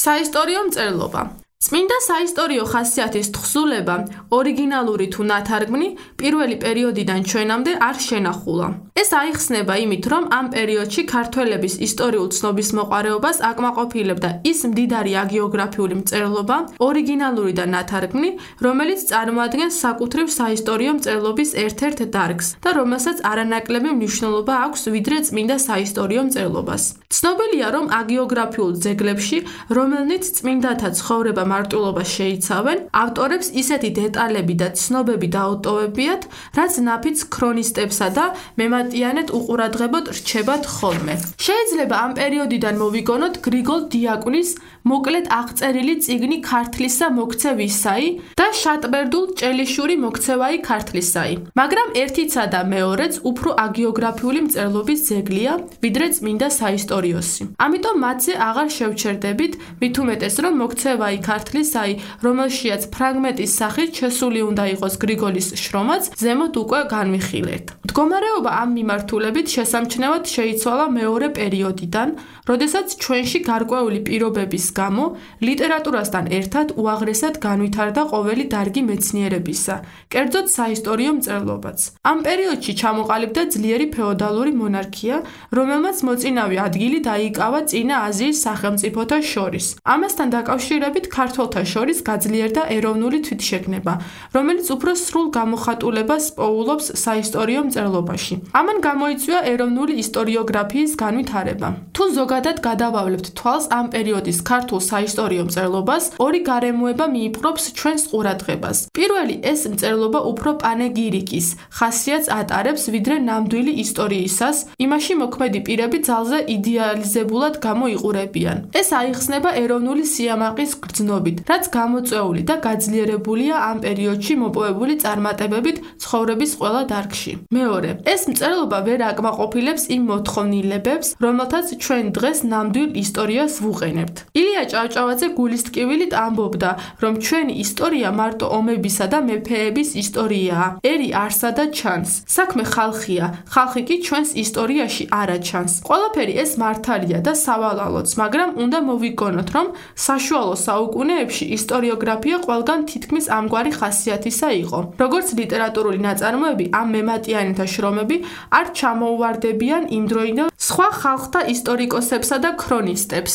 საისტორიო მწერლობა. წმინდა საისტორიო ხასიათის თხზულება, ორიგინალური თუ ნათარგმნი, პირველი პერიოდიდან ჩვენამდე არ შენახულა. ეს აიხსნება იმით, რომ ამ პერიოდში ქართველების ისტორიულ ცნობის მოყვარეობას აკმაყოფილებდა ის მდიდარი აგეოგრაფიული მწერლობა, ორიგინალური და ნათარგმნი, რომელიც წარმოადგენს საკუთრივ საისტორიო მწერლობის ერთ-ერთ დარგს და რომელსაც არანაკლები მნიშვნელობა აქვს ვიდრე წმინდა საისტორიო მწერლობას. ცნობილია, რომ აგეოგრაფიულ ძეგლებში, რომელნიც წმინდათა ცხოვრება მარტვილობას შეიცავენ, ავტორებს ისეთი დეტალები და ცნობები დაუტოვებიათ, რაც ნაფიც ქრონისტებსა და მემატიანედ უყურადღებოდ რჩებათ ხოლმე. შეიძლება ამ პერიოდიდან მოვიგონოთ გრიგოლ დიაკვნის მოკლედ აღწერილი წიგნი ქართლისა მოქცევისაი და შატბერდულ ჭელიშური მოქცევაი ქართლისაი. მაგრამ ერთიცა და მეორეც უფრო აგეოგრაფიული მწერლობის ძეგლია, ვიდრე წმინდა საისტორიოსი. ამიტომ მათზე აღარ შევჩერდებით, მით უმეტეს რომ მოქცევაი ქართლისაი, რომელშიაც ფრაგმენტის სახით შესული უნდა იყოს გრიგოლის შრომაც, ზემოთ უკვე განვიხილეთ. მდგომარეობა ამ მიმართულებით შესამჩნევად შეიცვალა მეორე პერიოდიდან, როდესაც ჩვენში გარკვეული პირობების გამო ლიტერატურასთან ერთად უაღრესად განვითარდა ყოველი დარგი მეცნიერებისა, კერძოდ საისტორიო მწერლობაც. ამ პერიოდში ჩამოყალიბდა ძლიერი ფეოდალური მონარქია, რომელმაც მოწინავე ადგილი დაიკავა წინა აზიის სახელმწიფოთა შორის. ამასთან დაკავშირებით ქართველთა შორის გაძლიერდა ეროვნული თვითშეგნება, რომელიც უფრო სრულ გამოხატულებას პოულობს საისტორიო მწერლობაში. ამან გამოიწვია ეროვნული ისტორიოგრაფიის განვითარება. თუ ზოგადად გადავავლებთ თვალს ამ პერიოდის ქართულ საისტორიო მწერლობას, ორი გარემოება მიიპყრობს ჩვენს ყურადღებას. პირველი, ეს მწერლობა უფრო პანეგირიკის ხასიათს ატარებს, ვიდრე ნამდვილი ისტორიისას, იმაში მოქმედი პირები ძალზე იდეალიზებულად გამოიყურებიან. ეს აიხსნება ეროვნული სიამაყის გრძნობით, რაც გამოწვეული და გაძლიერებულია ამ პერიოდში მოპოვებული წარმატებებით ცხოვრების ყველა დარგში. მეორე, ეს მწერლობა ვერ აკმაყოფილებს იმ მოთხოვნილებებს, რომელთაც ჩვენ დღეს ნამდვილ ისტორიას ვუყენებთ. ილია ჭავჭავაძე გულისტკივილით ამბობდა, რომ ჩვენი ისტორია მარტო ომებისა და მეფეების ისტორიაა. ერი არსა და ჩანს. საქმე ხალხია, ხალხი კი ჩვენს ისტორიაში არა ჩანს. ყველაფერი ეს მართალია და სავალალოც, მაგრამ უნდა მოვიგონოთ, რომ საშუალო საუკუნეებში ისტორიოგრაფია ყველგან თითქმის ამგვარი ხასიათისა იყო. როგორც ლიტერატურული ნაწარმოები, ამ მემატიანეთა შრომები არ ჩამოუვარდებიან იმდროინდელ სხვა ხალხთა ისტორიკოსებსა და ქრონისტებს.